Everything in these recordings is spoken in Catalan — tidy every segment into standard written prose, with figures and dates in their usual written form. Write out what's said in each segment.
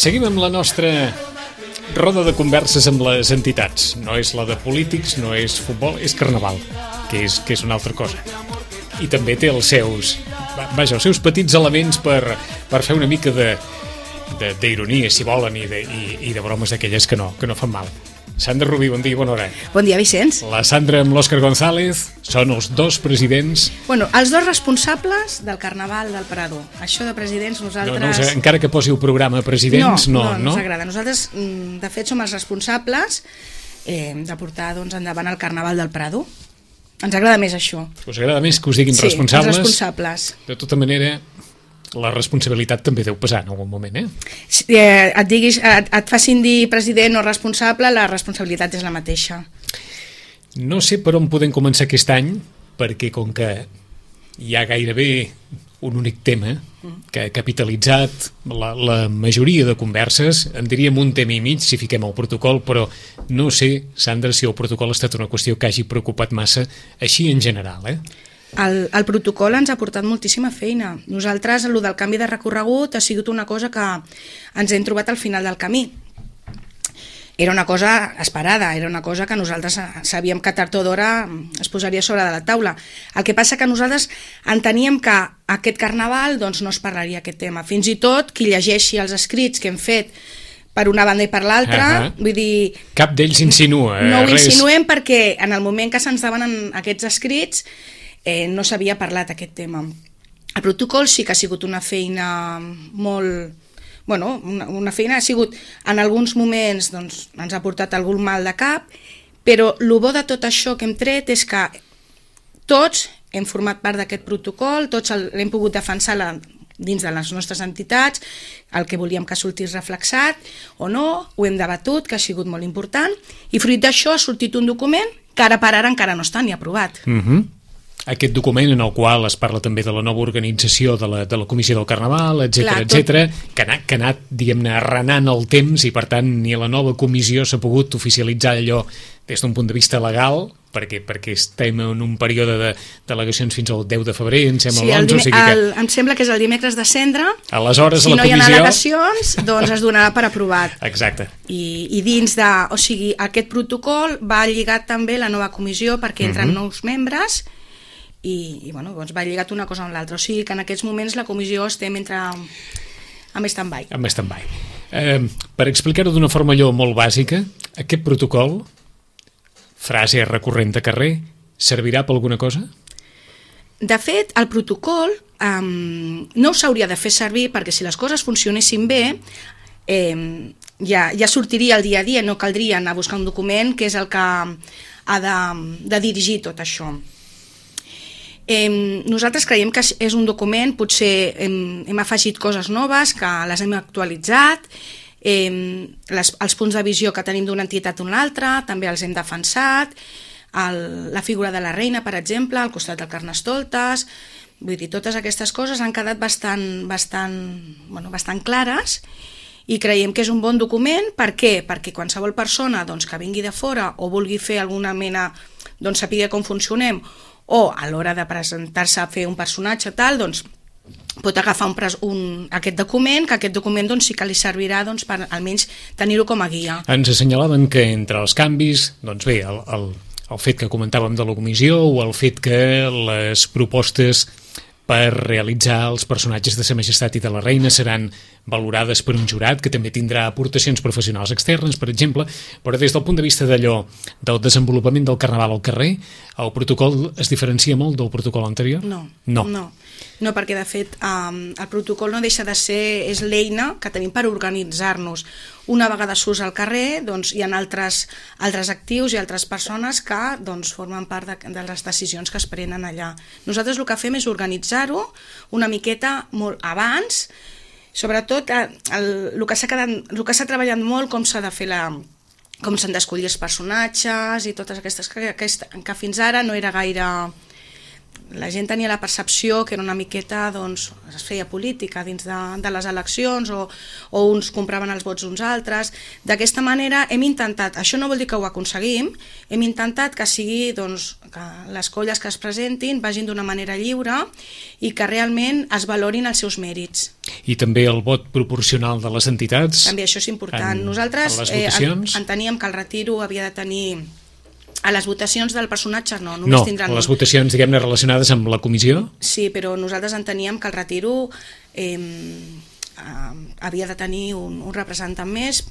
Seguim amb la nostra roda de converses amb les entitats. No és la de polítics, no és futbol, és carnaval, que és una altra cosa. I també té els seus petits elements per fer una mica d'ironia, si volen, i de bromes d'aquelles que no fan mal. Sandra Rubí, bon dia i bona hora. Bon dia, Vicenç. La Sandra amb l'Òscar González són els dos presidents... Bueno, els dos responsables del Carnaval del Prado. Això de presidents, nosaltres... No, encara que posi el programa presidents, no ens agrada. Nosaltres, de fet, som els responsables de portar endavant el Carnaval del Prado. Ens agrada més això. Us agrada més que us diguin responsables? Sí, els responsables. De tota manera... la responsabilitat també deu pesar en algun moment, et facin dir president o responsable, la responsabilitat és la mateixa. No sé per on podem començar aquest any, perquè com que hi ha gairebé un únic tema que ha capitalitzat la majoria de converses, en diríem un tema i mig si fiquem el protocol, però no sé, Sandra, si el protocol ha estat una qüestió que hagi preocupat massa així en general, El protocol ens ha portat moltíssima feina. Nosaltres, el del canvi de recorregut ha sigut una cosa que ens hem trobat al final del camí. Era una cosa esperada, era una cosa que nosaltres sabíem que tard o d'hora es posaria sobre de la taula. El que passa que nosaltres enteníem que aquest carnaval no es parlaria aquest tema. Fins i tot qui llegeixi els escrits que hem fet per una banda i per l'altra, vull dir... Cap d'ells insinua no ho insinuem perquè en el moment que se'ns demanen aquests escrits no s'havia parlat aquest tema. El protocol sí que ha sigut una feina molt... Bueno, una feina ha sigut... En alguns moments ens ha portat algun mal de cap, però el bo de tot això que hem tret és que tots hem format part d'aquest protocol, tots l'hem pogut defensar dins de les nostres entitats, el que volíem que sortís reflexat o no, ho hem debatut, que ha sigut molt important, i fruit d'això ha sortit un document que ara per ara encara no està ni aprovat. Aquest document en el qual es parla també de la nova organització de la Comissió del Carnaval, etc, que ha anat, diguem-ne, arrenant el temps i, per tant, ni la nova comissió s'ha pogut oficialitzar allò des d'un punt de vista legal, perquè estem en un període de delegacions fins al 10 de febrer, em sembla l'11, em sembla que és el dimecres de Cendra. Aleshores, si la comissió... no hi ha al·legacions, doncs es donarà per aprovat. Exacte. I dins de... O sigui, aquest protocol va lligat també la nova comissió perquè entren nous membres i bueno, doncs va lligat una cosa amb l'altra. O sigui que en aquests moments la comissió estem amb stand-by. Amb stand-by. Per explicar-ho d'una forma allò molt bàsica, aquest protocol, frase recurrent de carrer, servirà per alguna cosa? De fet, el protocol no s'hauria de fer servir perquè si les coses funcionessin bé ja sortiria el dia a dia, no caldria anar a buscar un document que és el que ha de dirigir tot això. Nosaltres creiem que és un document, potser hem afegit coses noves, que les hem actualitzat, els punts de visió que tenim d'una entitat a una altra també els hem defensat, la figura de la reina, per exemple, al costat del Carnestoltes, vull dir, totes aquestes coses han quedat bastant clares i creiem que és un bon document. Per què? Perquè qualsevol persona que vingui de fora o vulgui fer alguna mena, sàpiga com funcionem, o a l'hora de presentar-se a fer un personatge tal, pot agafar aquest document, que aquest document sí que li servirà per almenys tenir-ho com a guia. Ens assenyalaven que entre els canvis, bé, el fet que comentàvem de la comissió o el fet que les propostes per realitzar els personatges de Sa Majestat i de la Reina seran valorades per un jurat que també tindrà aportacions professionals externes, per exemple, però des del punt de vista del desenvolupament del Carnaval al carrer, el protocol es diferencia molt del protocol anterior? No, perquè de fet el protocol no deixa de ser, és l'eina que tenim per organitzar-nos. Una vegada surts al carrer hi ha altres actius i altres persones que formen part de les decisions que es prenen allà. Nosaltres el que fem és organitzar-ho una miqueta molt abans, sobretot el que s'ha treballat molt, com s'ha de fer com s'han d'escollir els personatges i totes aquestes que fins ara no era gaire la gent tenia la percepció que era una miqueta, doncs, es feia política dins de les eleccions o uns compraven els vots uns altres. D'aquesta manera hem intentat, això no vol dir que ho aconseguim, hem intentat que sigui, doncs, que les colles que es presentin vagin d'una manera lliure i que realment es valorin els seus mèrits. I també el vot proporcional de les entitats? També això és important. Nosaltres enteníem que el retiro havia de tenir... A les votacions del personatge no, només tindran... No, les votacions, diguem-ne, relacionades amb la comissió? Sí, però nosaltres enteníem que el retiro havia de tenir un representant més,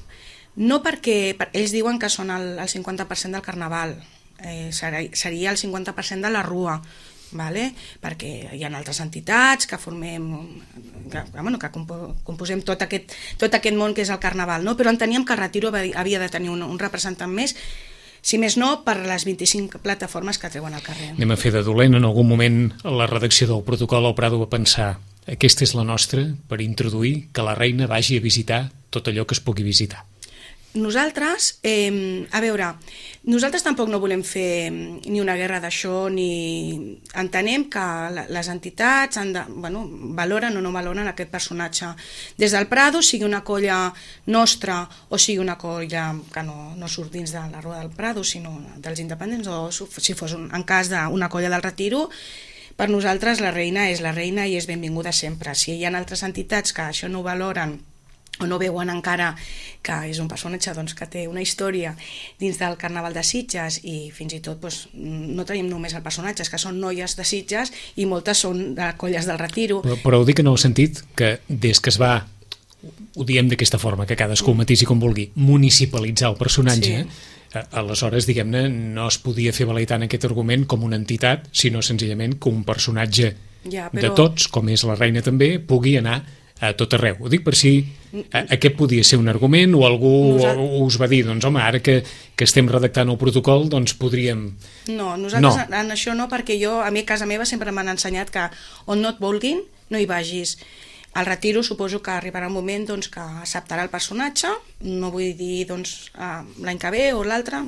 no perquè ells diuen que són el 50% del carnaval, seria el 50% de la rua, vale? Perquè hi ha altres entitats que formem, que composem tot aquest món que és el carnaval, no? Però enteníem que el retiro havia de tenir un representant més, si més no, per les 25 plataformes que treuen al carrer. Anem a fer de dolent. En algun moment la redacció del protocol al Prado va pensar aquesta és la nostra per introduir que la reina vagi a visitar tot allò que es pugui visitar. Nosaltres, a veure, nosaltres tampoc no volem fer ni una guerra d'això, ni entenem que les entitats valoren o no valoren aquest personatge. Des del Prado, sigui una colla nostra o sigui una colla que no surt dins de la Rua del Prado, sinó dels independents, o si fos en cas d'una colla del Retiro, per nosaltres la reina és la reina i és benvinguda sempre. Si hi ha altres entitats que això no ho valoren o no veuen encara que és un personatge que té una història dins del Carnaval de Sitges i fins i tot no tenim només el personatge, és que són noies de Sitges i moltes són de colles del Retiro. Però ho dic en el sentit que des que es va, ho diem d'aquesta forma, que cadascú matisi com vulgui, municipalitzar el personatge, aleshores, diguem-ne, no es podia fer valer tant aquest argument com una entitat, sinó senzillament que un personatge de tots, com és la reina també, pugui anar a tot arreu. Ho dic per si aquest podia ser un argument o algú us va dir, doncs home, ara que estem redactant el protocol, doncs podríem... No, nosaltres en això no, perquè a mi a casa meva sempre m'han ensenyat que on no et vulguin, no hi vagis. Al Retiro suposo que arribarà un moment que acceptarà el personatge, no vull dir l'any que ve o l'altre,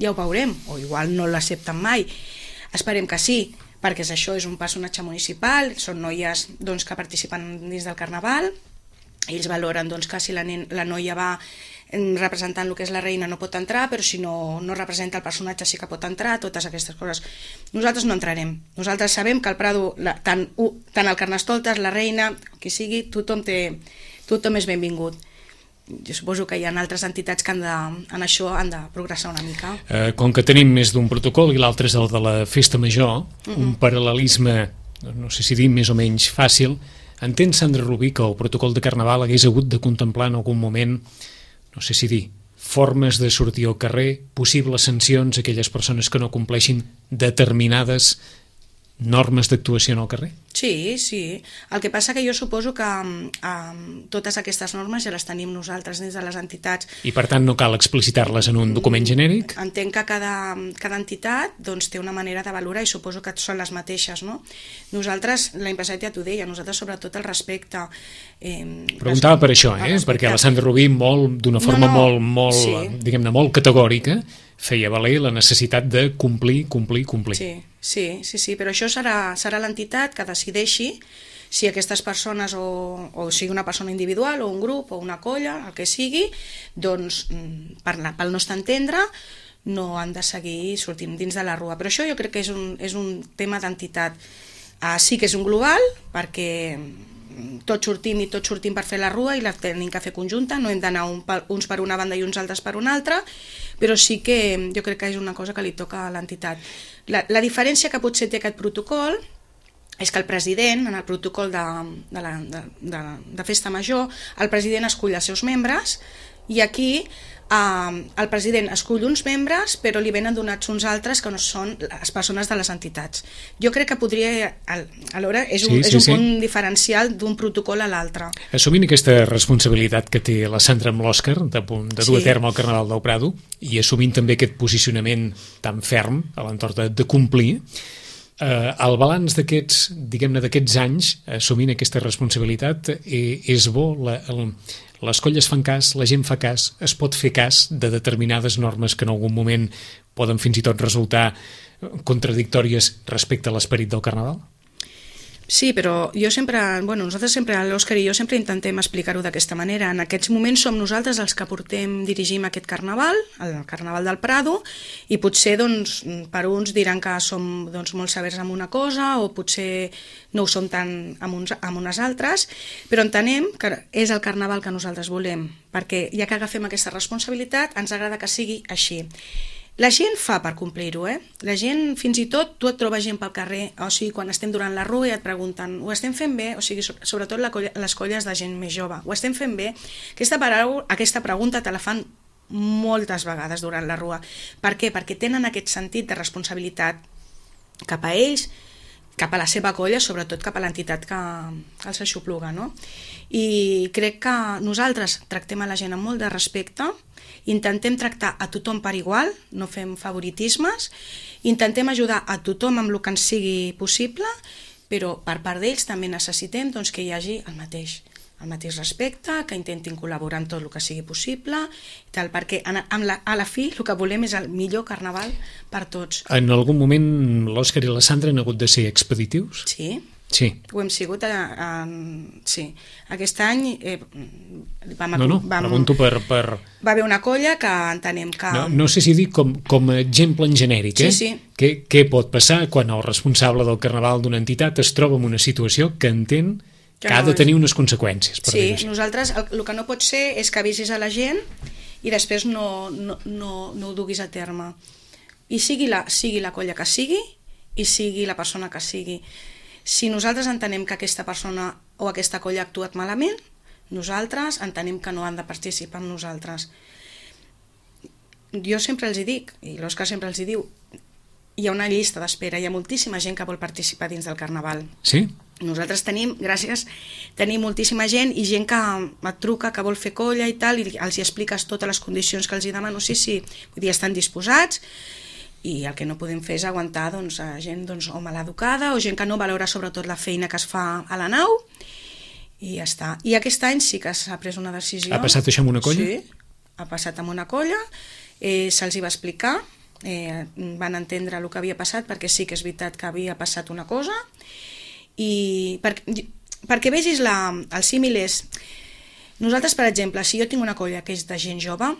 ja ho veurem, o igual no l'accepten mai. Esperem que sí, perquè això és un personatge municipal, són noies que participen dins del carnaval, ells valoren que si la noia va representant el que és la reina no pot entrar, però si no representa el personatge sí que pot entrar, totes aquestes coses. Nosaltres no entrarem, nosaltres sabem que al Prado, tant el Carnestoltes, la reina, qui sigui, tothom és benvingut. Jo suposo que hi ha altres entitats que en això han de progressar una mica. Com que tenim més d'un protocol i l'altre és el de la festa major, un paral·lelisme, no sé si dir més o menys fàcil, entén Sandra Rubí que el protocol de Carnaval hagués hagut de contemplar en algun moment, no sé si dir, formes de sortir al carrer, possibles sancions a aquelles persones que no compleixin determinades normes d'actuació en el carrer? Sí, sí. El que passa que jo suposo que totes aquestes normes ja les tenim nosaltres dins de les entitats. I per tant no cal explicitar-les en un document genèric? Entenc que cada entitat té una manera de valorar i suposo que són les mateixes, no? Nosaltres, l'any passat ja t'ho deia, nosaltres sobretot el respecte. Preguntava per això, perquè la Sandra Rubí d'una forma molt, diguem-ne, molt categòrica feia valer la necessitat de complir. Sí, però això serà l'entitat que decideixi si aquestes persones, o sigui una persona individual o un grup o una colla, el que sigui, doncs pel nostre entendre no han de seguir sortint dins de la rua. Però això jo crec que és un tema d'entitat. Sí que és un global, perquè tots sortim per fer la rua i la tenim que fer conjunta, no hem d'anar uns per una banda i uns altres per una altra, però sí que jo crec que és una cosa que li toca a l'entitat. La diferència que potser té aquest protocol és que el president, en el protocol de festa major, el president escull els seus membres i aquí el president escull uns membres però li venen donats uns altres que no són les persones de les entitats. Jo crec que podria, alhora és un punt diferencial d'un protocol a l'altre. Assumint aquesta responsabilitat que té la Sandra amb l'Òscar de dur a terme el Carnaval del Prado i assumint també aquest posicionament tan ferm a l'entorn de complir, el balanç d'aquests anys, assumint aquesta responsabilitat, és bo, les colles fan cas, la gent fa cas, es pot fer cas de determinades normes que en algun moment poden fins i tot resultar contradictòries respecte a l'esperit del Carnaval? Sí, però jo sempre, nosaltres sempre, l'Òscar i jo sempre intentem explicar-ho d'aquesta manera. En aquests moments som nosaltres els que dirigim aquest carnaval, el Carnaval del Prado, i potser per uns diran que som molt severs amb una cosa o potser no ho som tant amb unes altres, però entenem que és el carnaval que nosaltres volem, perquè ja que agafem aquesta responsabilitat ens agrada que sigui així. La gent fa per complir-ho, La gent, fins i tot, tu et trobes gent pel carrer, o sigui, quan estem durant la rua i et pregunten, ho estem fent bé? O sigui, sobretot les colles de gent més jove, ho estem fent bé? Aquesta pregunta te la fan moltes vegades durant la rua. Per què? Perquè tenen aquest sentit de responsabilitat cap a ells, cap a la seva colla, sobretot cap a l'entitat que els aixopluga, no? I crec que nosaltres tractem a la gent amb molt de respecte, intentem tractar a tothom per igual, no fem favoritismes, intentem ajudar a tothom amb el que ens sigui possible, però per part d'ells també necessitem que hi hagi el mateix respecte, que intentin col·laborar en tot el que sigui possible, perquè a la fi el que volem és el millor carnaval per tots. En algun moment l'Òscar i la Sandra han hagut de ser expeditius? Sí, ho hem sigut, sí. Aquest any pregunto per... Va haver una colla que entenem que... No sé si dir com a exemple en genèric, Sí. Què pot passar quan el responsable del carnaval d'una entitat es troba en una situació que entén que ha de tenir unes conseqüències? Sí, nosaltres el que no pot ser és que avisis a la gent i després no ho duguis a terme. I sigui la colla que sigui i sigui la persona que sigui. Si nosaltres entenem que aquesta persona o aquesta colla ha actuat malament, nosaltres entenem que no han de participar amb nosaltres. Jo sempre els hi dic, i l'Òscar sempre els hi diu, hi ha una llista d'espera, hi ha moltíssima gent que vol participar dins del Carnaval. Sí? Nosaltres tenim moltíssima gent i gent que et truca, que vol fer colla i tal, i els hi expliques totes les condicions que els hi demano, sí, vull dir, estan disposats, i el que no podem fer és aguantar gent o maleducada o gent que no valora sobretot la feina que es fa a la nau, i ja està. I aquest any sí que s'ha pres una decisió. Ha passat això amb una colla? Sí, ha passat amb una colla, se'ls hi va explicar, van entendre el que havia passat, perquè sí que és veritat que havia passat una cosa, i perquè vegis el símil és, nosaltres, per exemple, si jo tinc una colla que és de gent jove,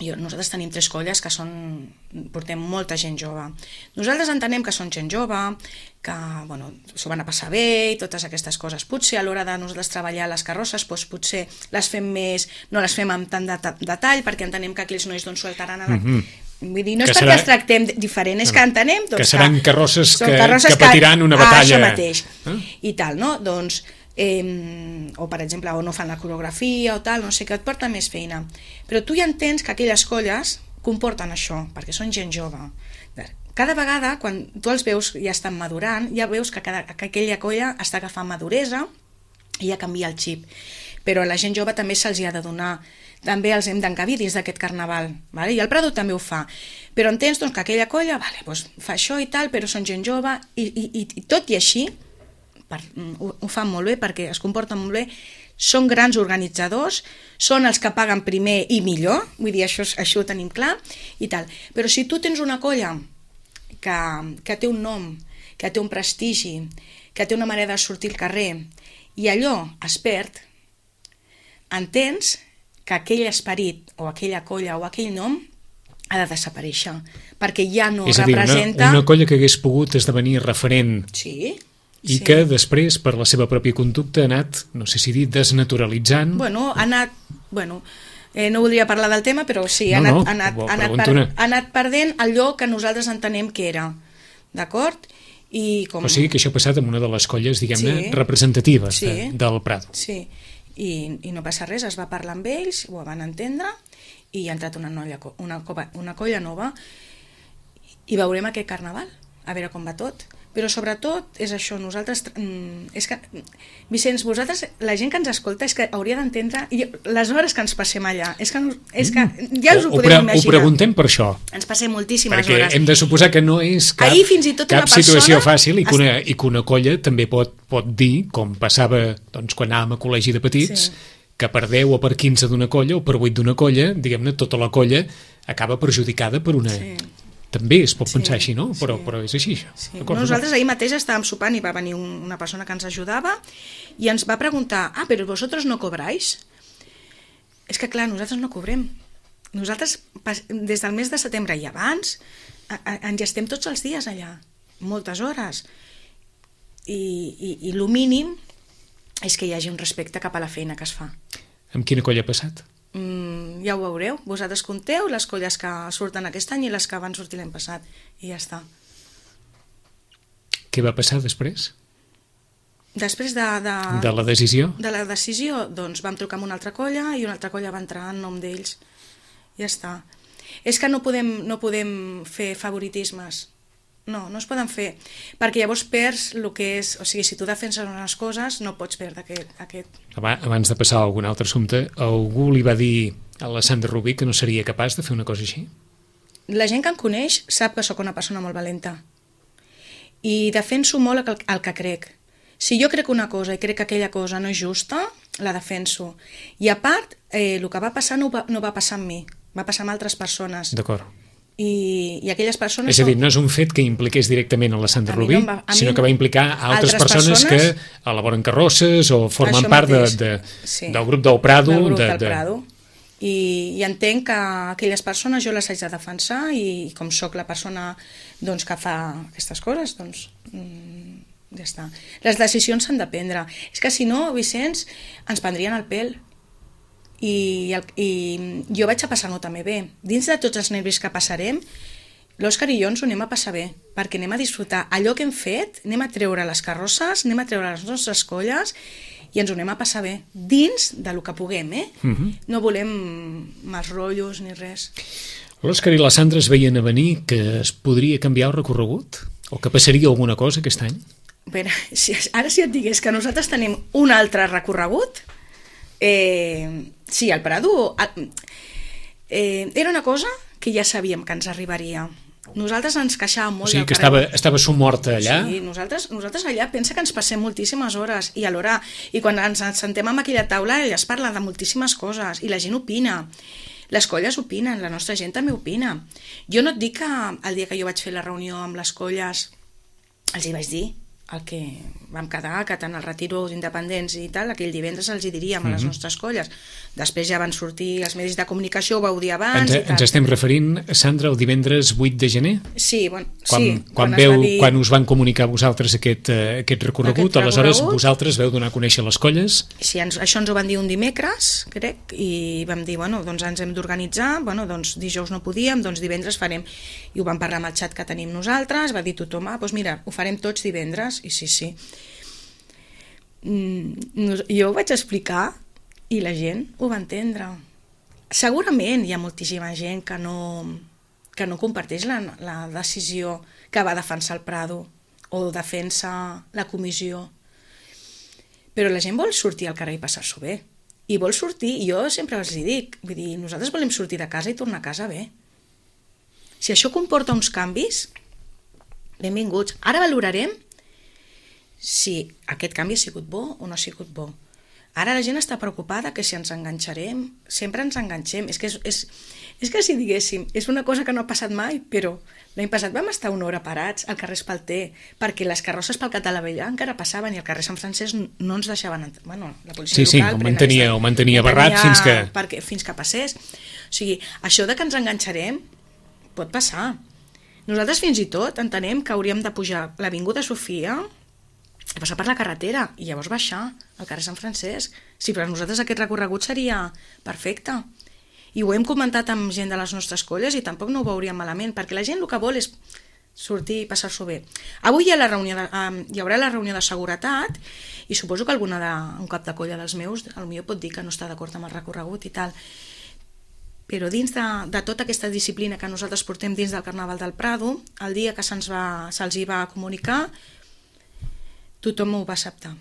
nosaltres tenim 3 colles que portem molta gent jove. Nosaltres entenem que són gent jove, que s'ho van a passar bé i totes aquestes coses. Potser a l'hora de nosaltres treballar les carrosses, potser les fem no les fem amb tant de detall, perquè entenem que aquells nois sueltaran a la... Vull dir, no és perquè els tractem diferent, és que entenem que seran carrosses que patiran una batalla. Això mateix. I tal, no? O per exemple, o no fan la coreografia o tal, no sé què, et porta més feina, però tu ja entens que aquelles colles comporten això, perquè són gent jove. Cada vegada, quan tu els veus ja estan madurant, ja veus que aquella colla està agafant maduresa i ja canvia el xip, però a la gent jove també se'ls ha de donar, també els hem d'encabir dins d'aquest carnaval, i el Prado també ho fa, però entens que aquella colla fa això i tal, però són gent jove, i tot i així ho fan molt bé perquè es comporten molt bé, són grans organitzadors, són els que paguen primer i millor, vull dir, això ho tenim clar i tal, però si tu tens una colla que té un nom, que té un prestigi, que té una manera de sortir al carrer i allò es perd, entens que aquell esperit o aquella colla o aquell nom ha de desaparèixer, perquè ja no representa... Una colla que hagués pogut esdevenir referent... Sí, i que després, per la seva pròpia conducta, ha anat, no sé si dir, desnaturalitzant... no voldria parlar del tema, però sí, ha anat perdent allò que nosaltres entenem que era, d'acord? O sigui que això ha passat amb una de les colles, diguem-ne, representatives del Prado. Sí, i no passa res, es va parlar amb ells, ho van entendre, i ha entrat una colla nova, i veurem aquest carnaval, a veure com va tot. Però sobretot és això, nosaltres, és que, Vicenç, vosaltres, la gent que ens escolta és que hauria d'entendre les hores que ens passem allà, és que ja us ho podeu imaginar. Ho preguntem per això. Ens passem moltíssimes hores. Perquè hem de suposar que no és cap situació fàcil i que una colla també pot dir, com passava quan anàvem a col·legi de petits, que per 10 o per 15 d'una colla o per 8 d'una colla, diguem-ne, tota la colla acaba perjudicada per una... També es pot pensar així, no? Però és així, això. Sí. Nosaltres ahir mateix estàvem sopant i va venir una persona que ens ajudava i ens va preguntar, però vosotros no cobráis? És que clar, nosaltres no cobrem. Nosaltres, des del mes de setembre i abans, ens estem tots els dies allà, moltes hores. I el mínim és que hi hagi un respecte cap a la feina que es fa. Amb quina colla ha passat? Ja ho veureu. Vosaltres compteu les colles que surten aquest any i les que van sortir l'any passat. I ja està. Què va passar després? Després de la decisió? De la decisió, doncs vam trucar amb una altra colla i una altra colla va entrar en nom d'ells. Ja està. És que no podem fer favoritismes. No es poden fer, perquè llavors perds el que és, o sigui, si tu defenses unes coses no pots perdre aquest. Abans de passar a algun altre assumpte, algú li va dir a la Sandra Rubí que no seria capaç de fer una cosa així? La gent que em coneix sap que sóc una persona molt valenta i defenso molt el que crec. Si jo crec una cosa i crec que aquella cosa no és justa, la defenso. I a part, el que va passar no va passar amb mi, va passar amb altres persones. D'acord. I aquelles persones... És a dir, no és un fet que impliqués directament a la Sandra Rubí, sinó que va implicar altres persones que elaboren carrosses o formen part del grup del Prado. Del grup del Prado. I entenc que aquelles persones jo les haig de defensar i com sóc la persona doncs, que fa aquestes coses, doncs ja està. Les decisions s'han de prendre. És que si no, Vicenç, ens prendrien el pèl. I jo vaig a passar-m'ho també bé. Dins de tots els nervis que passarem, l'Òscar i jo ens ho anem a passar bé, perquè anem a disfrutar allò que hem fet, anem a treure les carrosses, anem a treure les nostres colles i ens ho anem a passar bé, dins de lo que puguem, No volem mals rotllos ni res. L'Òscar i la Sandra es veien a venir que es podria canviar el recorregut? O que passaria alguna cosa aquest any? Bé, ara si et digués que nosaltres tenim un altre recorregut, sí, el Prado era una cosa que ja sabíem que ens arribaria. Nosaltres ens queixàvem molt. O sigui que estava somorta allà? Sí, nosaltres allà pensa que ens passem moltíssimes hores i alhora, i quan ens sentem amb aquella taula ella es parla de moltíssimes coses i la gent opina. Les colles opinen, la nostra gent també opina. Jo no et dic que el dia que jo vaig fer la reunió amb les colles els hi vaig dir el que vam quedar, que tant el retiro d'independents i tal, aquell divendres els hi diríem a les nostres colles. Després ja van sortir els medis de comunicació, ho vau dir abans i tal. Ens estem referint, Sandra, el divendres 8 de gener? Sí, bueno, quan us van comunicar vosaltres aquest recorregut, aleshores vosaltres veu donar a conèixer les colles? Sí, això ens ho van dir un dimecres, crec, i vam dir, bueno, doncs ens hem d'organitzar, bueno, doncs dijous no podíem, doncs divendres farem, i ho vam parlar amb el xat que tenim nosaltres, va dir tothom, doncs mira, ho farem tots divendres, i sí. Jo ho vaig explicar i la gent ho va entendre. Segurament hi ha moltíssima gent que no comparteix la decisió que va defensar el Prado o defensa la comissió, però la gent vol sortir al carrer i passar-s'ho bé i vol sortir, i jo sempre els dic, vull dir, nosaltres volem sortir de casa i tornar a casa bé. Si això comporta uns canvis, benvinguts. Ara valorarem si aquest canvi ha sigut bo o no ha sigut bo. Ara la gent està preocupada que si ens enganxarem, sempre ens enganxem. És que si diguéssim, és una cosa que no ha passat mai, però l'any passat vam estar una hora parats al carrer Espalter, perquè les carrosses pel Catalavellà encara passaven i al carrer Sant Francesc no ens deixaven entrar. Bueno, la policia local... Sí, ho mantenia barrat fins que passés. O sigui, això de que ens enganxarem pot passar. Nosaltres fins i tot entenem que hauríem de pujar l'Avinguda Sofia, passar per la carretera i llavors baixar al carrer Sant Francesc. Sí, per a nosaltres aquest recorregut seria perfecte. I ho hem comentat amb gent de les nostres colles i tampoc no ho veuríem malament, perquè la gent el que vol és sortir i passar-s'ho bé. Avui hi haurà la reunió de seguretat i suposo que un cap de colla dels meus potser pot dir que no està d'acord amb el recorregut i tal. Però dins de tota aquesta disciplina que nosaltres portem dins del Carnaval del Prado, el dia que se'ls hi va comunicar, tothom ho va acceptar.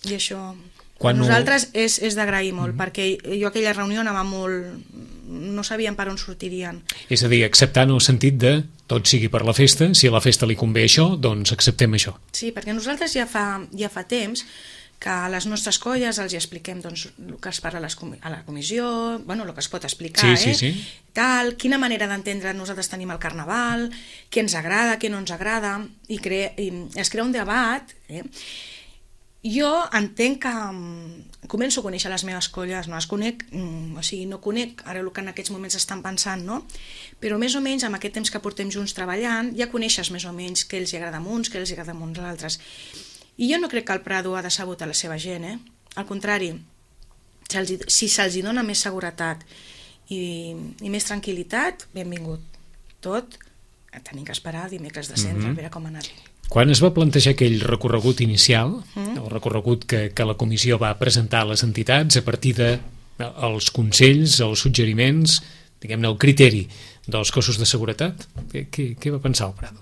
I això per nosaltres és d'agrair molt, perquè jo aquella reunió anava molt... no sabíem per on sortirien. És a dir, acceptar en el sentit de tot sigui per la festa, si a la festa li convé això, doncs acceptem això. Sí, perquè nosaltres ja fa temps que a les nostres colles els hi expliquem doncs, el que es parla a la comissió, bueno, el que es pot explicar, Sí. Tal, quina manera d'entendre nosaltres tenim el carnaval, què ens agrada, què no ens agrada, i es crea un debat. Jo entenc que començo a conèixer les meves colles, no les conec, o sigui, no conec ara el que en aquests moments estan pensant, no? Però més o menys amb aquest temps que portem junts treballant ja coneixes més o menys què els agrada a uns, què els agrada a uns altres. I jo no crec que el Prado ha decebut a la seva gent, Al contrari, si se'ls dona més seguretat i més tranquil·litat, benvingut. Tot tenim que esperar dimecres de centre, a veure com ha anat. Quan es va plantejar aquell recorregut inicial, el recorregut que la comissió va presentar a les entitats a partir dels consells, els suggeriments, diguem-ne, el criteri dels cossos de seguretat, què va pensar el Prado?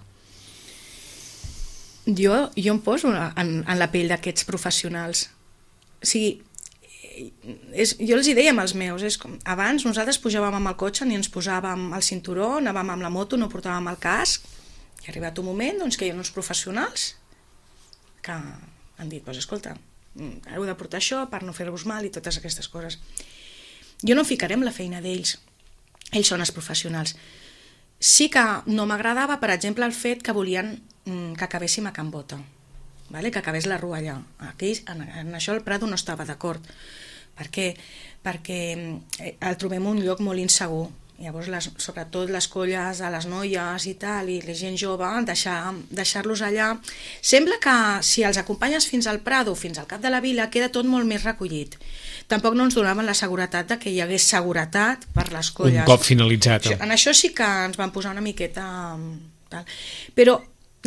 Jo em poso en la pell d'aquests professionals. O sigui, jo els hi deia als meus, abans nosaltres pujàvem amb el cotxe, ni ens posàvem el cinturó, anàvem amb la moto, no portàvem el casc, i ha arribat un moment doncs, que hi ha uns professionals que han dit, escolta, heu de portar això per no fer-vos mal i totes aquestes coses. Jo no ficarem la feina d'ells, ells són els professionals. Sí que no m'agradava, per exemple, el fet que volien que acabéssim a Can Bota, que acabés la rua allà. En això el Prado no estava d'acord. Per què? Perquè el trobem un lloc molt insegur. Llavors, sobretot les colles de les noies i tal, i la gent jove, deixar-los allà. Sembla que si els acompanyes fins al Prado, fins al cap de la vila, queda tot molt més recollit. Tampoc no ens donaven la seguretat que hi hagués seguretat per les colles. Un cop finalitzat. En això sí que ens van posar una miqueta... Tal. Però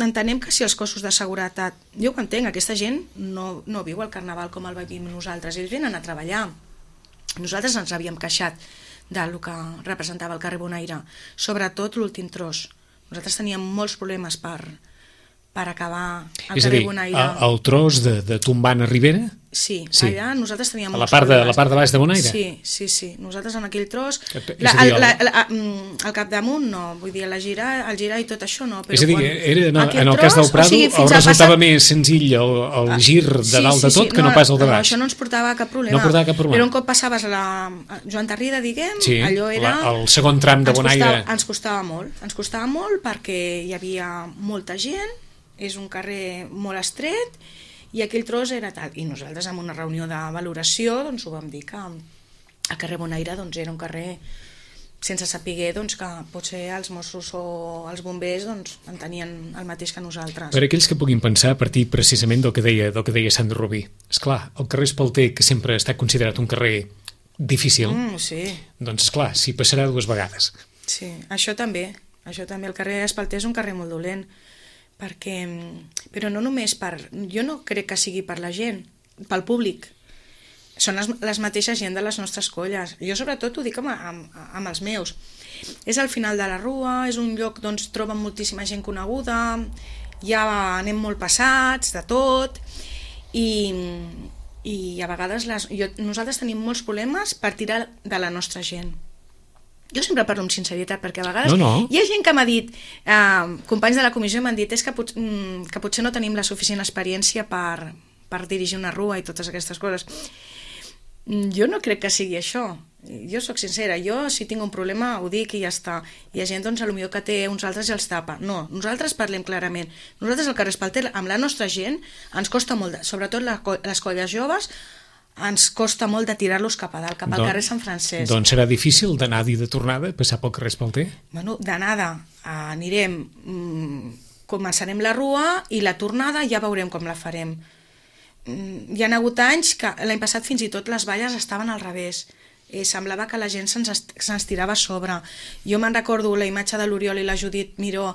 entenem que si els cossos de seguretat... Jo ho entenc, aquesta gent no viu el carnaval com el vivim nosaltres. Ells venen a treballar. Nosaltres ens havíem queixat del que representava el carrer Bonaire, sobretot l'últim tros. Nosaltres teníem molts problemes per acabar el carrer Bonaire. És a dir, el tros de tombant a Ribera? Sí, allà nosaltres teníem molts problemes. A la part de baix de Bonaire? Sí. Nosaltres en aquell tros... El capdamunt no, vull dir, el girar i tot això no. És a dir, en el cas del Prado resultava més senzill el gir de dalt de tot que no pas el de baix. Això no ens portava cap problema. Però un cop passaves a la Joan Tarrida, diguem, allò era... el segon tram de Bonaire... Ens costava molt perquè hi havia molta gent, és un carrer molt estret, i aquell tros era tal. I nosaltres, en una reunió de valoració, doncs ho vam dir que el carrer Bonaire doncs, era un carrer sense saber doncs, que potser els Mossos o els bombers doncs, en tenien el mateix que nosaltres. Per aquells que puguin pensar a partir precisament del que deia Sandra Rubí. Esclar, el carrer Espalter, que sempre ha estat considerat un carrer difícil, doncs esclar, s'hi passarà dues vegades. Sí, això també. El carrer Espalter és un carrer molt dolent. Però no només jo no crec que sigui per la gent, pel públic, són les mateixes gent de les nostres colles. Jo sobretot ho dic amb els meus. És al final de la rua, és un lloc on troben moltíssima gent coneguda, ja anem molt passats de tot, i a vegades nosaltres tenim molts problemes per tirar de la nostra gent. Jo sempre parlo amb sinceritat, perquè a vegades hi ha gent que m'ha dit, companys de la comissió m'han dit, és que potser no tenim la suficient experiència per dirigir una rua i totes aquestes coses. Jo no crec que sigui això. Jo sóc sincera, jo si tinc un problema ho dic i ja està. Hi ha gent potser que té uns altres i els tapa. No, nosaltres parlem clarament. Nosaltres al carrer Espalter, amb la nostra gent, ens costa molt, sobretot les colles joves, ens costa molt de tirar-los cap a dalt, cap al carrer Sant Francesc. Doncs serà difícil d'anada i de tornada, passar pel carrer Espalter? Bueno, d'anada anirem, començarem la rua i la tornada ja veurem com la farem. Hi ha hagut anys que l'any passat fins i tot les valles estaven al revés. Semblava que la gent se'ns tirava a sobre. Jo me'n recordo la imatge de l'Oriol i la Judit Miró,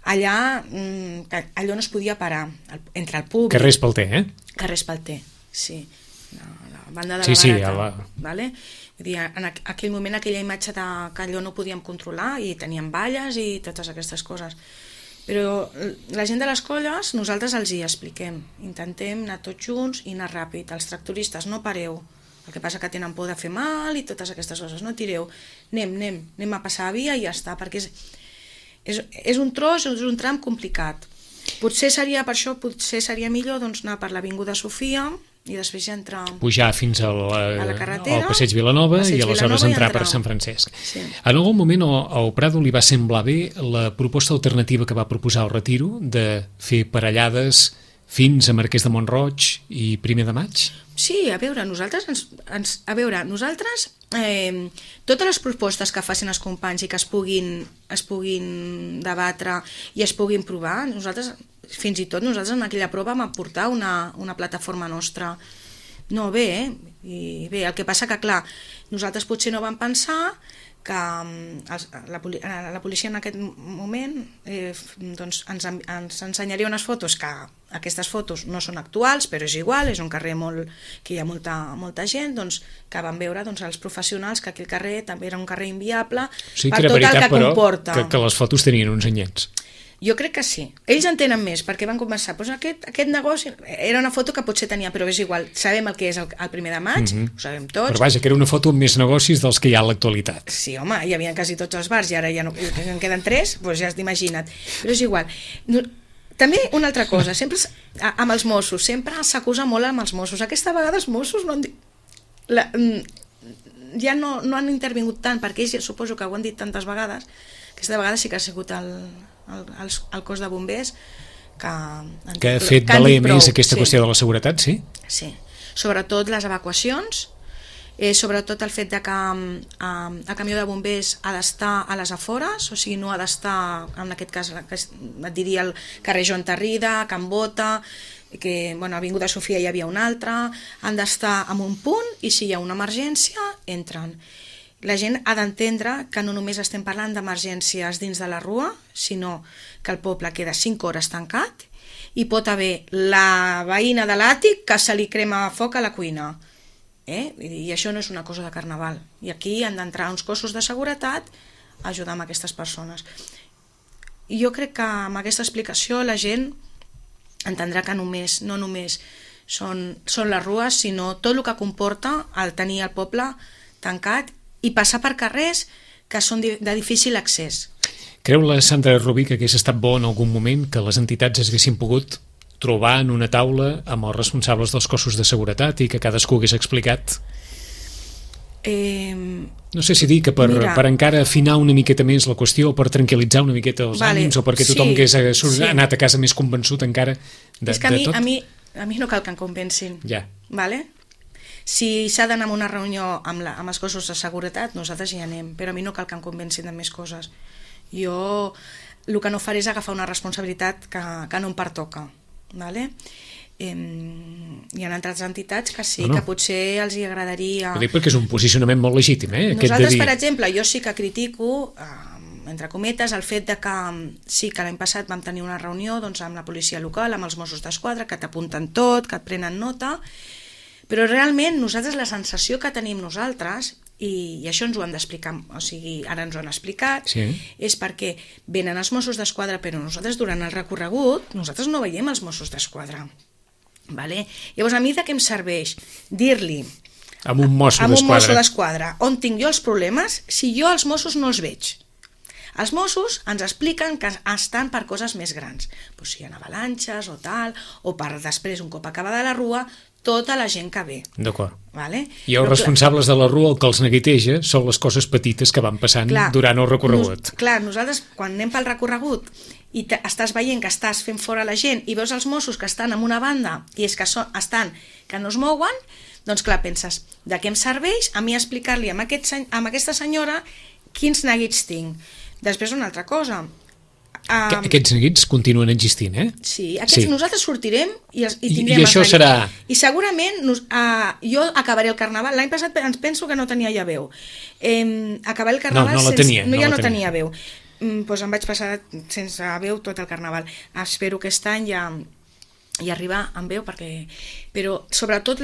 allà allò no es podia parar, entre el públic... Carrer Espalter, Carrer Espalter, sí. La banda de la Barata. Vale? Vull dir, en aquell moment, aquella imatge que allò no podíem controlar i teníem valles i totes aquestes coses. Però la gent de les colles, nosaltres els hi expliquem. Intentem anar tots junts i anar ràpid. Els tractoristes, no pareu. El que passa que tenen por de fer mal i totes aquestes coses. No tireu. Anem a passar a via i ja està, perquè és un tros, és un tram complicat. Potser seria millor doncs, anar per l'Avinguda Sofia, i després ja entrar... Pujar fins a la carretera, al Passeig Vilanova i aleshores entrar per Sant Francesc. Sí. En algun moment al Prado li va semblar bé la proposta alternativa que va proposar el Retiro de fer parellades fins a Marquès de Mont-roig i Primer de Maig? Sí, a veure, nosaltres totes les propostes que facin els companys i que es puguin debatre i es puguin provar, fins i tot nosaltres en aquella prova vam aportar una plataforma nostra. No, bé, i bé, el que passa que, clar, nosaltres potser no vam pensar que la policia en aquest moment doncs ens ensenyaria unes fotos que aquestes fotos no són actuals, però és igual, és un carrer que hi ha molta gent, doncs, que van veure els professionals que aquell carrer també era un carrer inviable per tot el que comporta. Que les fotos tenien uns anyets. Jo crec que sí. Ells en tenen més, perquè van començar. Doncs aquest negoci era una foto que potser tenia, però és igual. Sabem el que és el Primer de Maig, ho sabem tots. Però vaja, que era una foto amb més negocis dels que hi ha a l'actualitat. Sí, home, hi havia quasi tots els bars i ara ja no, en queden 3, doncs ja has d'imagina't. Però és igual. També una altra cosa, sempre amb els Mossos, sempre s'acusa molt amb els Mossos. Aquesta vegada els Mossos no han dit... ja no han intervingut tant, perquè ells suposo que ho han dit tantes vegades. Aquesta vegada sí que ha sigut el cos de bombers que ha fet valer més aquesta qüestió de la seguretat, sí? Sí, sobretot les evacuacions, sobretot el fet que el camió de bombers ha d'estar a les afores, o sigui, no ha d'estar, en aquest cas et diria el carrer Joan Tarrida, Can Bota, que a Avinguda Sofia hi havia un altre, han d'estar en un punt i si hi ha una emergència entren. La gent ha d'entendre que no només estem parlant d'emergències dins de la rua, sinó que el poble queda 5 hores tancat i pot haver la veïna de l'àtic que se li crema foc a la cuina. I això no és una cosa de carnaval. I aquí han d'entrar uns cossos de seguretat a ajudar amb aquestes persones. I jo crec que amb aquesta explicació la gent entendrà que no només són les rues, sinó tot el que comporta el tenir el poble tancat i passar per carrers que són de difícil accés. Creu la Sandra Rubí que hagués estat bo en algun moment que les entitats haguessin pogut trobar en una taula amb els responsables dels cossos de seguretat i que cadascú hagués explicat? No sé si dir que per encara afinar una miqueta més la qüestió, o per tranquil·litzar una miqueta els ànims, o perquè tothom hagués anat a casa més convençut encara de tot. És que a mi no cal que em convencin. Ja. Vale? Si s'ha d'anar a una reunió amb els cossos de seguretat, nosaltres hi anem, però a mi no cal que em convencin de més coses. Jo el que no faré és agafar una responsabilitat que no em pertoca. Vale? Hi ha altres entitats que sí, que potser els hi agradaria... Ho dic perquè és un posicionament molt legítim, Nosaltres, per exemple, jo sí que critico, entre cometes, el fet de que sí que l'any passat vam tenir una reunió amb la policia local, amb els Mossos d'Esquadra, que t'apunten tot, que et prenen nota, però realment nosaltres la sensació que tenim nosaltres, i això ens ho han d'explicar, o sigui, ara ens ho han explicat, és perquè venen els Mossos d'Esquadra, però nosaltres durant el recorregut, nosaltres no veiem els Mossos d'Esquadra. Vale? Llavors, a mi de què em serveix dir-li a un mosso d'Esquadra on tinc jo els problemes si jo els Mossos no els veig? Els Mossos ens expliquen que estan per coses més grans, si hi ha avalanxes o tal, o per després, un cop acabada la rua, tota la gent que ve. D'acord. Vale? I els responsables de la rua, el que els neguiteja són les coses petites que van passant durant el recorregut. Nosaltres, quan anem pel recorregut i estàs veient que estàs fent fora la gent i veus els Mossos que estan en una banda i és que que no es mouen, doncs clar, penses, de què em serveix a mi explicar-li a aquesta senyora quins neguits tinc? Després una altra cosa. Aquests neguits continuen existint, Sí, nosaltres sortirem i I tindrem... això serà... I segurament jo acabaré el carnaval. L'any passat ens penso que no tenia ja veu. Acabaré el carnaval... No no tenia veu. Doncs em vaig passar sense veu tot el carnaval. Espero que aquest any ja arribar amb veu, però sobretot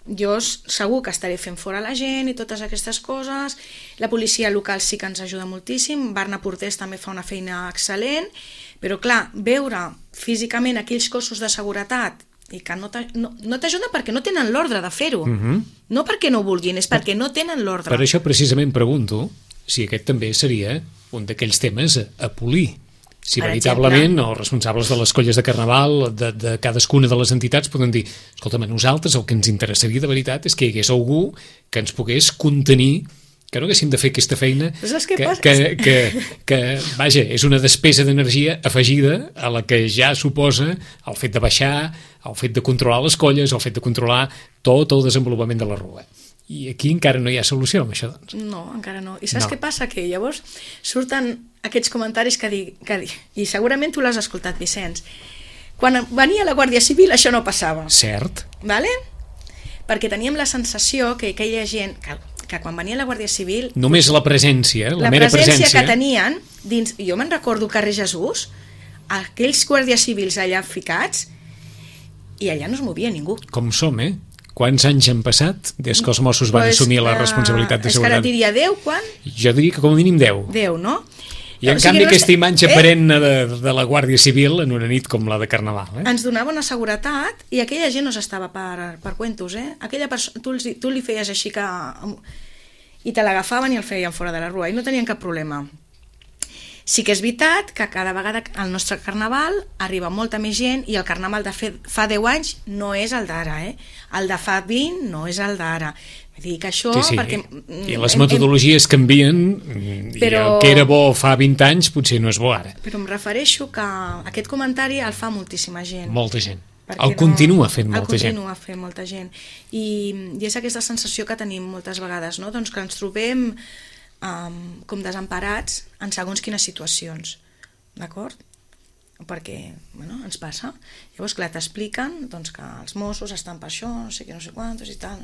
jo segur que estaré fent fora la gent i totes aquestes coses. La policia local sí que ens ajuda moltíssim, Barna Portés també fa una feina excel·lent, però clar, veure físicament aquells cossos de seguretat i que no t'ajuda perquè no tenen l'ordre de fer-ho, no perquè no vulguin, és perquè no tenen l'ordre. Per això precisament pregunto si aquest també seria un d'aquells temes a polir, Si veritablement els responsables de les colles de carnaval, de cadascuna de les entitats, poden dir, escolta'm, a nosaltres el que ens interessaria de veritat és que hi hagués algú que ens pogués contenir, que no haguéssim de fer aquesta feina que vaja, és una despesa d'energia afegida a la que ja suposa el fet de baixar, el fet de controlar les colles, el fet de controlar tot el desenvolupament de la rua. I aquí encara no hi ha solució amb això, doncs. No, encara no. I saps què passa? Que llavors surten aquests comentaris que i segurament tu l'has escoltat, Vicenç. Quan venia la Guàrdia Civil això no passava. Cert. Vale? Perquè teníem la sensació que aquella gent... que quan venia la Guàrdia Civil... Només la presència, la mera presència que tenien dins... Jo me'n recordo carrer Jesús, aquells guàrdies civils allà ficats, i allà no es movia ningú. Com som, Quants anys han passat des que els Mossos van assumir la responsabilitat de seguretat? És que ara diria 10, quan? Jo diria que com a mínim 10. 10, no? I en canvi aquesta imatge perenne de la Guàrdia Civil en una nit com la de Carnaval. Ens donava una seguretat i aquella gent no s'estava per cuentos, Aquella tu li feies així que... i te l'agafaven i el feien fora de la rua i no tenien cap problema. Sí que és veritat que cada vegada al nostre carnaval arriba molta més gent i el carnaval de fa 10 anys no és el d'ara, El de fa 20 no és el d'ara. Dic això perquè... I les metodologies canvien, però... i el que era bo fa 20 anys potser no és bo ara. Però em refereixo que aquest comentari el fa moltíssima gent. Molta gent. El continua fent molta gent. El continua fent molta gent. I és aquesta sensació que tenim moltes vegades, no? Doncs que ens trobem com desemparats en segons quines situacions, d'acord? Perquè, ens passa. Llavors, clar, t'expliquen doncs, que els Mossos estan per això, no sé què, no sé quantos i tal.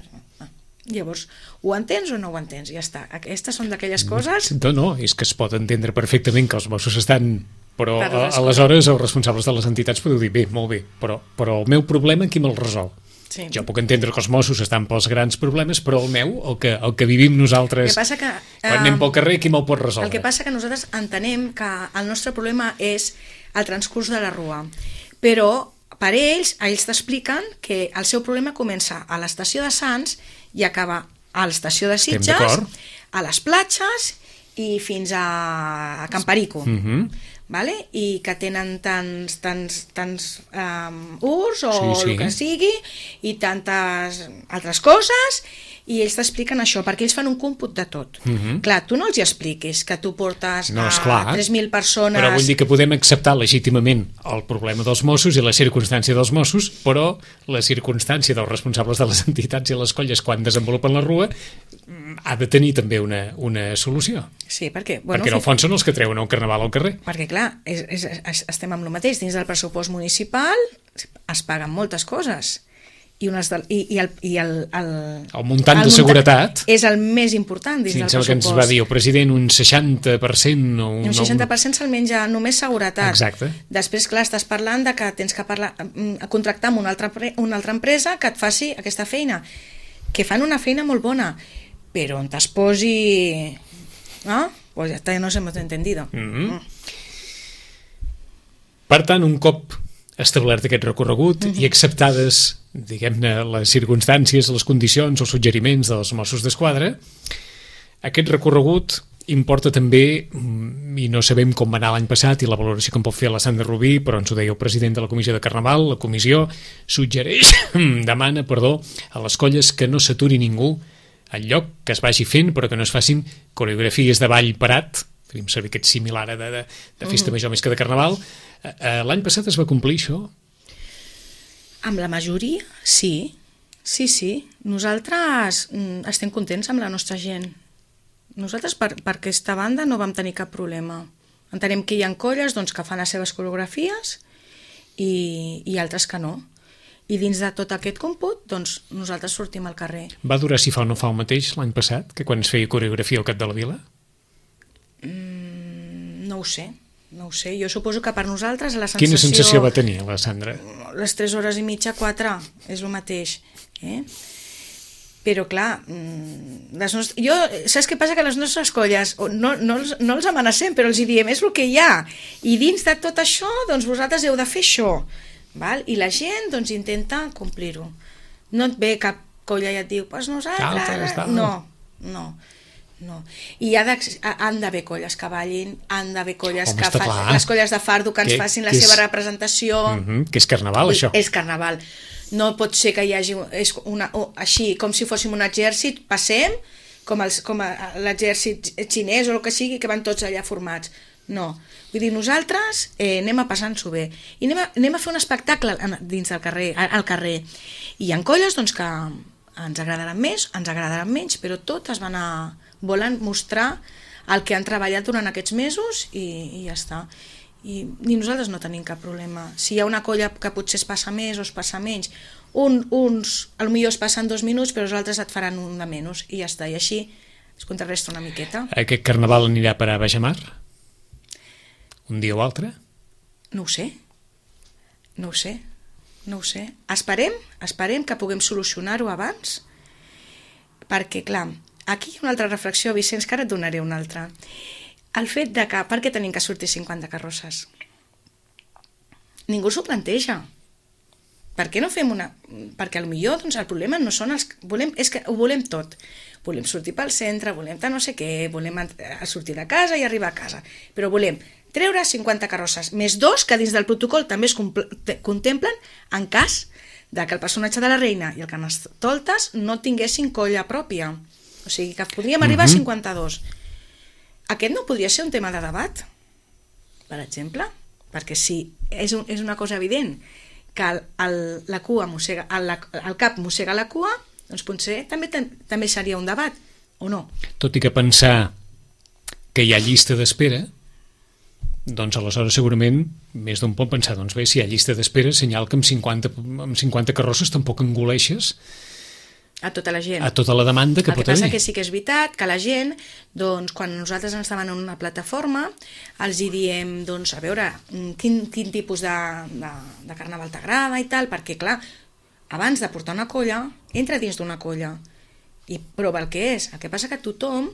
Llavors, ho entens o no ho entens? Ja està. Aquestes són d'aquelles coses... No, és que es pot entendre perfectament que els Mossos estan... Però aleshores els responsables de les entitats podeu dir, bé, molt bé, però el meu problema qui me'l resol? Sí. Jo puc entendre que els Mossos estan pels grans problemes, però el meu, el que vivim nosaltres quan anem pel carrer, qui me'l pot resoldre? El que passa que nosaltres entenem que el nostre problema és el transcurs de la rua, però per ells t'expliquen que el seu problema comença a l'estació de Sants i acaba a l'estació de Sitges, a les platges i fins a Camparico. Vale? I que tenen tants urs o el que sigui i tantes altres coses i ells t'expliquen això, perquè ells fan un còmput de tot. Clar, tu no els hi expliquis que tu portes 3.000 persones... Però vull dir que podem acceptar legítimament el problema dels Mossos i la circumstància dels Mossos, però la circumstància dels responsables de les entitats i les colles quan desenvolupen la rua ha de tenir també una solució. Sí, perquè... Perquè en el fons són els que treuen un carnaval al carrer. Perquè, clar, estem amb el mateix. Dins del pressupost municipal es paguen moltes coses. El muntant de seguretat és el més important dins del pressupost. Que ens va dir el president, un 60% o un 60% se'l menja només seguretat. Exacte. Després, clar, estàs parlant de que tens que contractar amb una altra empresa que et faci aquesta feina, que fan una feina molt bona, però on es posi... ¿no? Pues ya está, no se hemos entendido. Per tant, un cop establert aquest recorregut i acceptades, diguem-ne, les circumstàncies, les condicions, els suggeriments dels Mossos d'Esquadra, aquest recorregut importa també, i no sabem com va anar l'any passat i la valoració que en pot fer la Sandra Rubí, però ens ho deia el president de la comissió de Carnaval, la comissió suggereix, demana, a les colles que no s'aturi ningú al lloc, que es vagi fent, però que no es facin coreografies de ball parat, faríem servir aquest similar de festa major més que de Carnaval. L'any passat es va complir això? Amb la majoria, sí. Sí. Nosaltres estem contents amb la nostra gent. Nosaltres per aquesta banda no vam tenir cap problema. Entenem que hi ha colles que fan les seves coreografies i altres que no. I dins de tot aquest còmput, nosaltres sortim al carrer. Va durar si fa o no fa el mateix l'any passat, que quan es feia coreografia al cap de la vila? No ho sé. Jo suposo que per nosaltres la sensació... Quina sensació va tenir la Sandra? Les 3 hores i mitja, 4, és el mateix. Però clar, saps què passa? Que les nostres colles no els amenacem, però els diem, és el que hi ha. I dins de tot això, vosaltres heu de fer això. Val? I la gent intenta complir-ho. No et ve cap colla i et diu, pues nosaltres... No. no. I han d'haver colles que ballin, han d'haver colles Home, que està facin, clar. les colles de fardo que ens facin la seva representació. Que és carnaval, això. És carnaval. No pot ser que hi hagi així, com si fóssim un exèrcit, passem, com l'exèrcit xinès o el que sigui, que van tots allà formats. No. Vull dir, nosaltres anem a passar-nos-ho bé. I anem a fer un espectacle dins del carrer, al carrer. I hi ha colles doncs, que ens agradaran més, ens agradaran menys, però totes volen mostrar el que han treballat durant aquests mesos i ja està. I nosaltres no tenim cap problema. Si hi ha una colla que potser es passa més o es passa menys, uns potser es passen 2 minuts, però els altres et faran un de menys i ja està. I així es contrarresta una miqueta. Aquest carnaval anirà per a Baix Mar? Un dia o altre? No ho sé. No ho sé. Esperem que puguem solucionar-ho abans, perquè, clar, aquí hi ha una altra reflexió, Vicenç, que ara et donaré una altra. El fet de que, per què tenim que sortir 50 carrosses? Ningú s'ho planteja. Per què no fem una... Perquè potser doncs, el problema no són els... És que ho volem tot. Volem sortir pel centre, volem no sé què, volem sortir de casa i arribar a casa. Però volem treure 50 carrosses, més 2 que dins del protocol també es contemplen en cas de que el personatge de la reina i el Carnestoltes no tinguessin colla pròpia. O sigui, que podríem arribar a 52. Aquest no podria ser un tema de debat, per exemple? Perquè si és una cosa evident que la cua mossega, el cap mossega la cua, doncs potser també seria un debat, o no? Tot i que pensar que hi ha llista d'espera, doncs aleshores segurament més d'un pot pensar, doncs bé, si hi ha llista d'espera, senyal que amb 50 carrosses tampoc engoleixes a tota la gent. A tota la demanda que pot haver. El que passa que sí que és veritat que la gent, doncs, quan nosaltres ens demanen una plataforma, els hi diem, doncs, a veure, quin tipus de carnaval t'agrada i tal, perquè, clar, abans de portar una colla, entra dins d'una colla i prova el que és. El que passa que tothom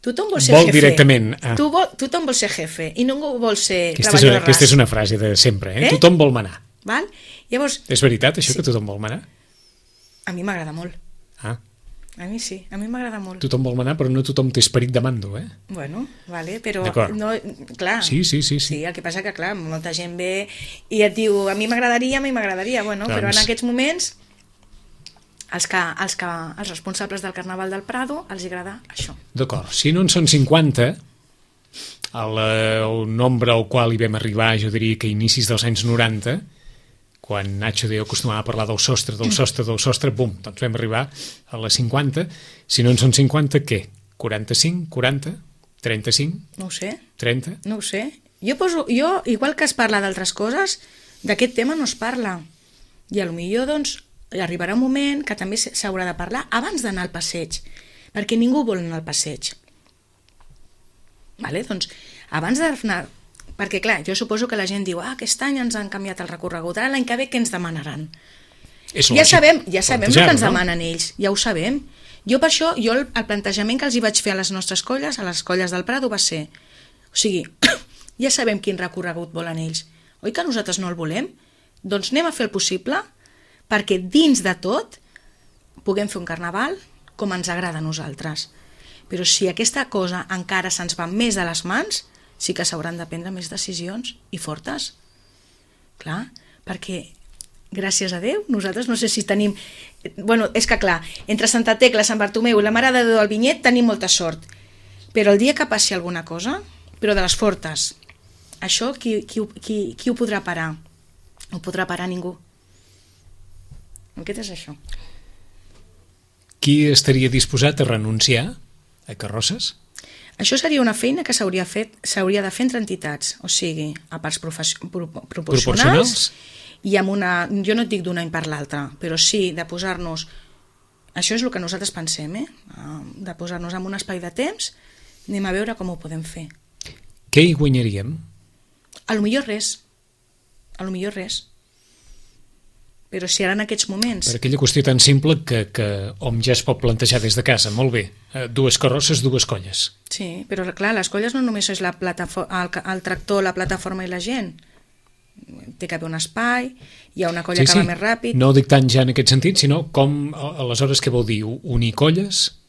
vol ser jefe. Directament. Tothom vol ser jefe i ningú vol ser treballador ras. Aquesta és una frase de sempre, eh? Tothom vol manar. Val? Llavors, és veritat, això, sí, que tothom vol manar? A mi m'agrada molt. Ah. A mi sí, a mi m'agrada molt. Tothom vol manar, però no tothom té esperit de mando, eh? Bueno, vale, però no, clar. Sí. Sí, el que passa que, clar, molta gent ve i et diu, a mi m'agradaria, bueno, doncs... però en aquests moments els responsables del Carnaval del Prado els agrada això. D'acord, si no en són 50, el nombre al qual hi vam arribar, jo diria que a inicis dels anys 90, quan Nacho Deo acostumava a parlar del sostre, bum, doncs vam arribar a les 50. Si no en són 50, què? 45, 40, 35? No ho sé. 30? No ho sé. Jo, igual que es parla d'altres coses, d'aquest tema no es parla. I potser, doncs, arribarà un moment que també s'haurà de parlar abans d'anar al passeig, perquè ningú vol anar al passeig. Vale? Doncs, abans d'anar... Perquè, clar, jo suposo que la gent diu aquest any ens han canviat el recorregut, ara l'any que ve què ens demanaran? Ja sabem el que ens demanen ells, ja ho sabem. Jo per això, el plantejament que els hi vaig fer a les nostres colles, a les colles del Prado, va ser, o sigui, ja sabem quin recorregut volen ells. Oi que nosaltres no el volem? Doncs anem a fer el possible perquè dins de tot puguem fer un carnaval com ens agrada a nosaltres. Però si aquesta cosa encara se'ns va més de les mans, sí que s'hauran de prendre més decisions i fortes. Clar, perquè gràcies a Déu, nosaltres no sé si tenim... Bueno, és que clar, entre Santa Tecla, Sant Bartomeu i la Mare de Déu del Vinyet tenim molta sort. Però el dia que passi alguna cosa, però de les fortes, això qui ho podrà parar? No ho podrà parar ningú. Què és això? Qui estaria disposat a renunciar a carrosses? Això seria una feina que s'hauria de fer entre entitats, o sigui, a parts proporcionals i amb una... Jo no et dic d'un any per l'altre, però sí de posar-nos... Això és el que nosaltres pensem, de posar-nos en un espai de temps, anem a veure com ho podem fer. Què hi guanyaríem? Potser res. Però si ara en aquests moments... Per aquella qüestió tan simple que hom ja es pot plantejar des de casa, molt bé, 2 carrosses, 2 colles. Sí, però clar, les colles no només és el tractor, la plataforma i la gent. Té que haver un espai, hi ha una colla que va més ràpid... No dic tant ja en aquest sentit, sinó com, aleshores, què vol dir? Unir colles?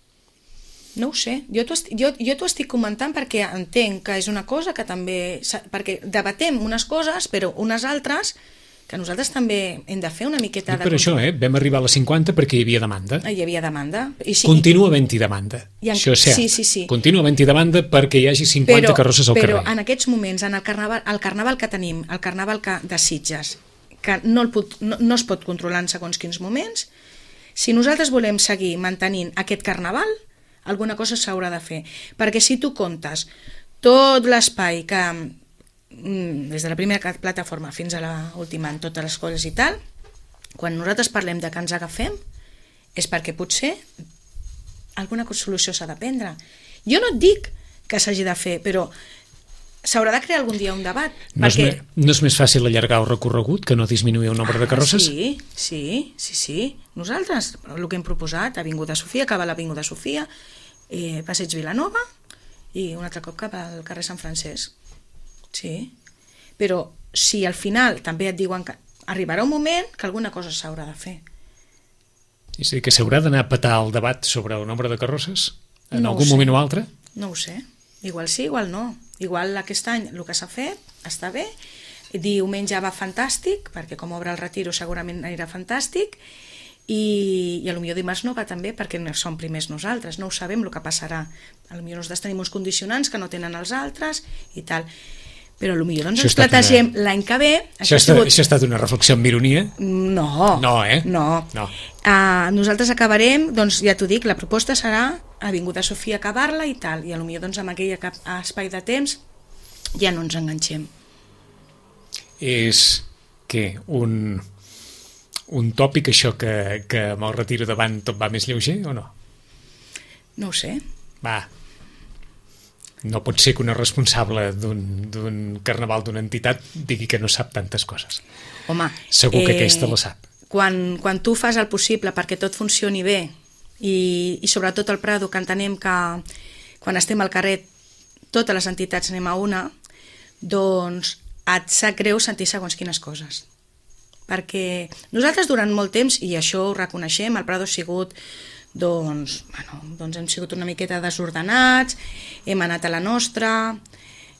No ho sé, jo t'ho estic comentant perquè entenc que és una cosa que també... perquè debatem unes coses, però unes altres que nosaltres també hem de fer una miqueta de... Per això, vam arribar a les 50 perquè hi havia demanda. Hi havia demanda. Continua havent-hi demanda. Això és cert. Sí. Continua havent-hi demanda perquè hi hagi 50 carrosses al carrer. Però en aquests moments, en el carnaval que tenim, el carnaval de Sitges, que no es pot controlar en segons quins moments, si nosaltres volem seguir mantenint aquest carnaval, alguna cosa s'haurà de fer. Perquè si tu comptes tot l'espai que... des de la primera plataforma fins a l'última, en totes les coses i tal, quan nosaltres parlem de que ens agafem és perquè potser alguna solució s'ha de prendre. Jo no et dic que s'hagi de fer, però s'haurà de crear algun dia un debat. No és més fàcil allargar el recorregut que no disminuir el nombre de carrosses? Sí. Nosaltres, el que hem proposat, Avinguda Sofia, acaba l'Avinguda Sofia, Passeig Vilanova i un altre cop cap al carrer Sant Francesc. Sí, però si al final també et diuen que arribarà un moment que alguna cosa s'haurà de fer. És a dir, que s'haurà d'anar a petar el debat sobre el nombre de carrosses en algun moment o altre? No ho sé, igual sí, igual no. Igual aquest any el que s'ha fet està bé, diumenge va fantàstic, perquè com obre el Retiro segurament anirà fantàstic, i potser dimarts no va també perquè no som primers nosaltres, no ho sabem el que passarà. Potser nosaltres tenim uns condicionants que no tenen els altres i tal. Però potser doncs ens plantegem l'any que ve... Això ha estat una reflexió amb ironia? No. No. Nosaltres acabarem, doncs ja t'ho dic, la proposta serà Avinguda Sofia acabar-la i tal, i potser doncs amb aquell espai de temps ja no ens enganxem. És què? Un tòpic això que amb el Retiro davant tot va més lleuger o no? No ho sé. No pot ser que una responsable d'un carnaval d'una entitat digui que no sap tantes coses. Home, segur que aquesta la sap. Quan tu fas el possible perquè tot funcioni bé i sobretot al Prado, que entenem que quan estem al carrer totes les entitats anem a una, doncs et sap greu sentir segons quines coses. Perquè nosaltres durant molt temps, i això ho reconeixem, el Prado ha sigut... doncs hem sigut una miqueta desordenats, hem anat a la nostra,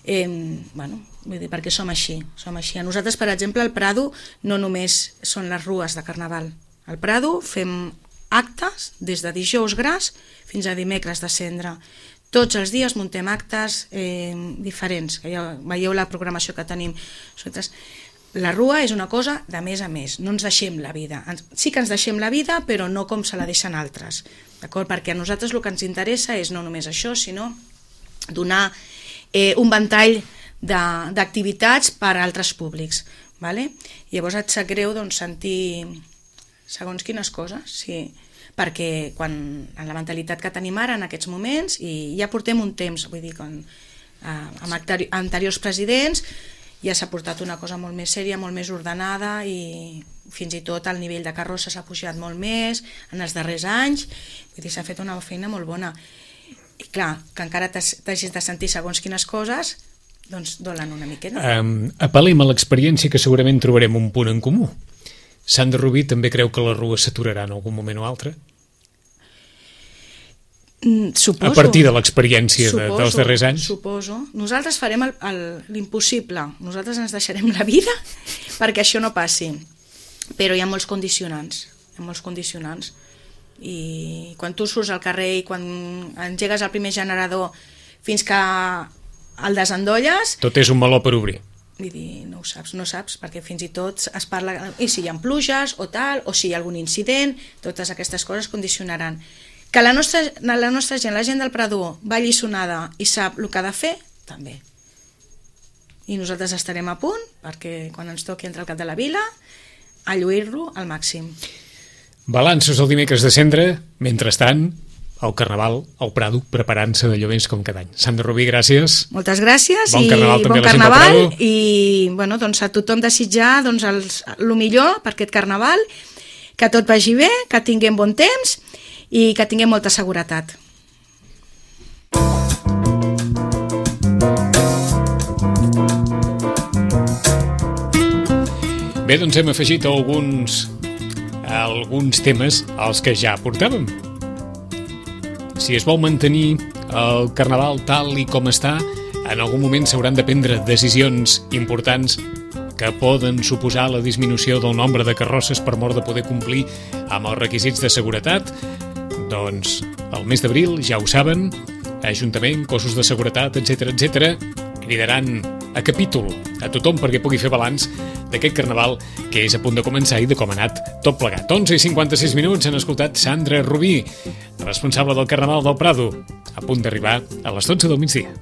vull dir, perquè som així. A nosaltres, per exemple, al Prado no només són les rues de Carnaval. Al Prado fem actes des de dijous gras fins a dimecres de cendra. Tots els dies muntem actes diferents, que ja veieu la programació que tenim. La rua és una cosa de més a més, no ens deixem la vida. Sí que ens deixem la vida, però no com se la deixen altres, d'acord? Perquè a nosaltres el que ens interessa és no només això, sinó donar un ventall d'activitats per a altres públics. Vale? Llavors et sap greu sentir segons quines coses, sí, perquè en la mentalitat que tenim ara en aquests moments, i ja portem un temps, vull dir, amb anteriors presidents, ja s'ha portat una cosa molt més sèria, molt més ordenada, i fins i tot el nivell de carrossa s'ha pujat molt més en els darrers anys, vull dir, s'ha fet una feina molt bona. I clar, que encara t'hagis de sentir segons quines coses, doncs dolen una miqueta. Apel·lem a l'experiència, que segurament trobarem un punt en comú. Sant de Rubí també creu que la rua s'aturarà en algun moment o altre? Suposo. A partir de l'experiència dels darrers anys? Suposo. Nosaltres farem l'impossible. Nosaltres ens deixarem la vida perquè això no passi. Però hi ha molts condicionants. I quan tu surts al carrer i quan engegues el primer generador fins que el desendolles... Tot és un meló per obrir. Vull dir, no saps, perquè fins i tot es parla... I si hi ha pluges o tal, o si hi ha algun incident, totes aquestes coses condicionaran. Que la nostra gent, la gent del Prado, va alliçonada i sap el que ha de fer, també. I nosaltres estarem a punt, perquè quan ens toqui entrar al cap de la vila, a lluir-lo al màxim. Balanços el dimecres de cendra, mentrestant, el Carnaval, al Prado, preparant-se d'allò més com cada any. Sant de Rubí, gràcies. Moltes gràcies. Bon Carnaval també a la gent del Prado. I a tothom desitjar el millor per aquest Carnaval, que tot vagi bé, que tinguem bon temps i que tinguem molta seguretat. Bé, doncs hem afegit alguns temes als que ja portàvem. si es vol mantenir el Carnaval tal i com està, en algun moment s'hauran de prendre decisions importants que poden suposar la disminució del nombre de carrosses per mort de poder complir amb els requisits de seguretat. Doncs el mes d'abril, ja ho saben, Ajuntament, cossos de seguretat, etc cridaran a capítol a tothom perquè pugui fer balanç d'aquest Carnaval que és a punt de començar i de com ha anat tot plegat. 11:56 han escoltat Sandra Rubí, responsable del Carnaval del Prado, a punt d'arribar a les 12 del migdia.